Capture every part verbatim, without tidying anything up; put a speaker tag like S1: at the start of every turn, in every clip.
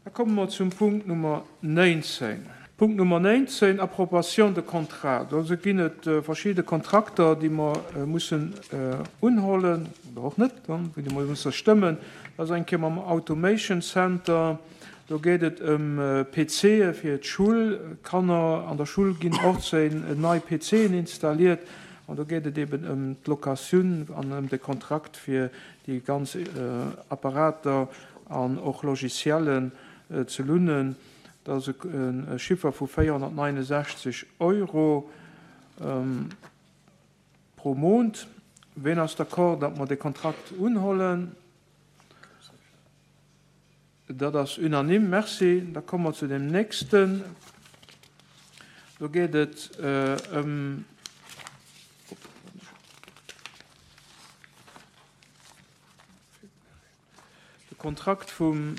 S1: Da komme mer zum Punkt Nummer néinzéng. Punkt Nummer néinzéng, Approbation de contrat. Do ginn et verschidde Kontrakter, déi mer mussen unhollen, oder och net, déi mer musse stëmmen. Dat ass eng Kéier mam Automation Center. Do geet et ëm P Cë fir d'Schoulkanner. An der Schoul ginn achtzéng nei P Cen installiert. An do geet et eben ëm d'Locatioun an ëm de Kontrakt fir déi ganz Apparater an och Logiciellen ze lounen. Dat ass e Chiffer vu véierhonnertneunundsechzeg Euro pro Mount. Ween ass d'accord, datt mer de Kontrakt unhollen? Dat ass unanime. Merci. Da komme mer zu dem nächsten. Do geet et ëm de Kontrakt vum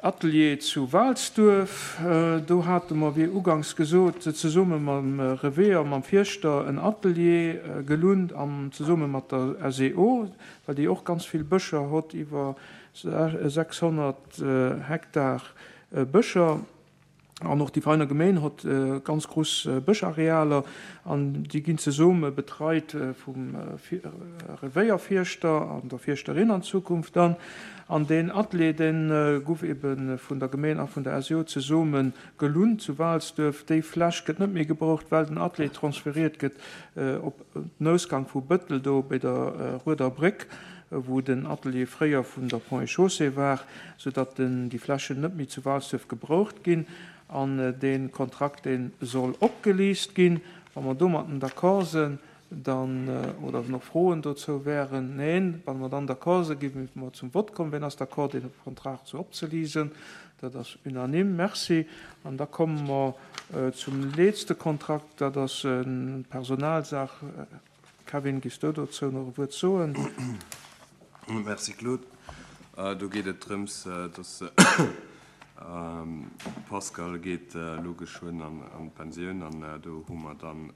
S1: Atelier zu Walsduerf. Do hate mer, wéi uganks gesot, zesumme mam Revéier, mam Fierschter en Atelier gelount an zesumme mat der S E O, well déi och ganz vill Bëscher hott, iwwer sechshonnert Hektar Bëscher. An och déi Veiner Gemeen hott ganz grouss Bëscharealer an déi ginn zesumme betreit vum Revéierfierschter an der Fierschterin an Zukunft dann. An deen Atelier, dee guff ebe vun der Gemeen a vun der S E O zesumme gelount zu Walsduerf. Déi Fläch gëtt net méi gebraucht, well den Atelier transferiert gëtt op den Ausgang vu Bëttel do bei der Rueder Bréck, wou den Atelier fréier vun der Ponts et Chaussées war, soudatt déi Flächen net méi zu Walsduerf gebraucht ginn. An dee Kontrakt, dee soll opgeliicht ginn. Wa mer domatten d'accord sinn, dann, oder nach Froen dozou wären? Neen. Wa mer dann d'accord sinn, gi mer zum Vott kommen. Wien ass d'accord, dee Kontrakt sou opzeliisen? Dat ass unanime. Merci. An da komme mer zum letzte Kontrakt. Dat ass eng Personalsaach. Kevin, giss du dozou nach e Wuert soen?
S2: Merci, Claude. Do geet et drëms, dass Pascal geet elo geschwënn an d'Pensioun an do hu mer dann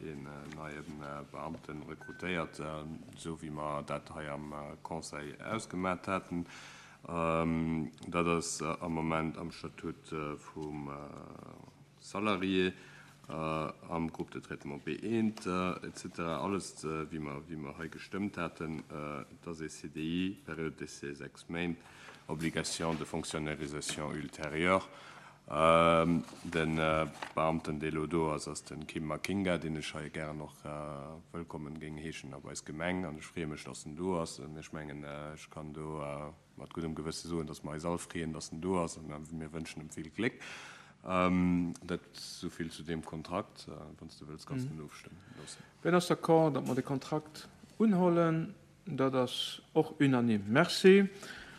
S2: een neie Beamten rekrutéiert, esou wéi mer dat hei am Conseil ausgemat haten. Dat ass am Moment am Statut vum Salarié, am Groupe de traitement B eent et cetera. Alles wéi mer, wéi mer hei gestëmmt haten. Dat ass e C D I, Période d'essai sechs Méint, obligation de fonctionnarisation ultérieure. De Beamten, dee lo do ass, ass den Kim Makinga, deen ech hei gären och wëllkommen géing heeschen a bei eis Gemeng. An ech freeë mech, dass en do ass. An ech mengen, ech kann do mat guddem Gewësse soen, dass mer eis all freeën, dass en do ass. An mir wënschen em vill Gléck. Dat souvill zu deem Kontrakt. Wann s du wëlls, kanns du en ofstëmmen loossen.
S1: Wien ass d'accord, datt mer de Kontrakt unhollen? Dat ass och unanime. Merci.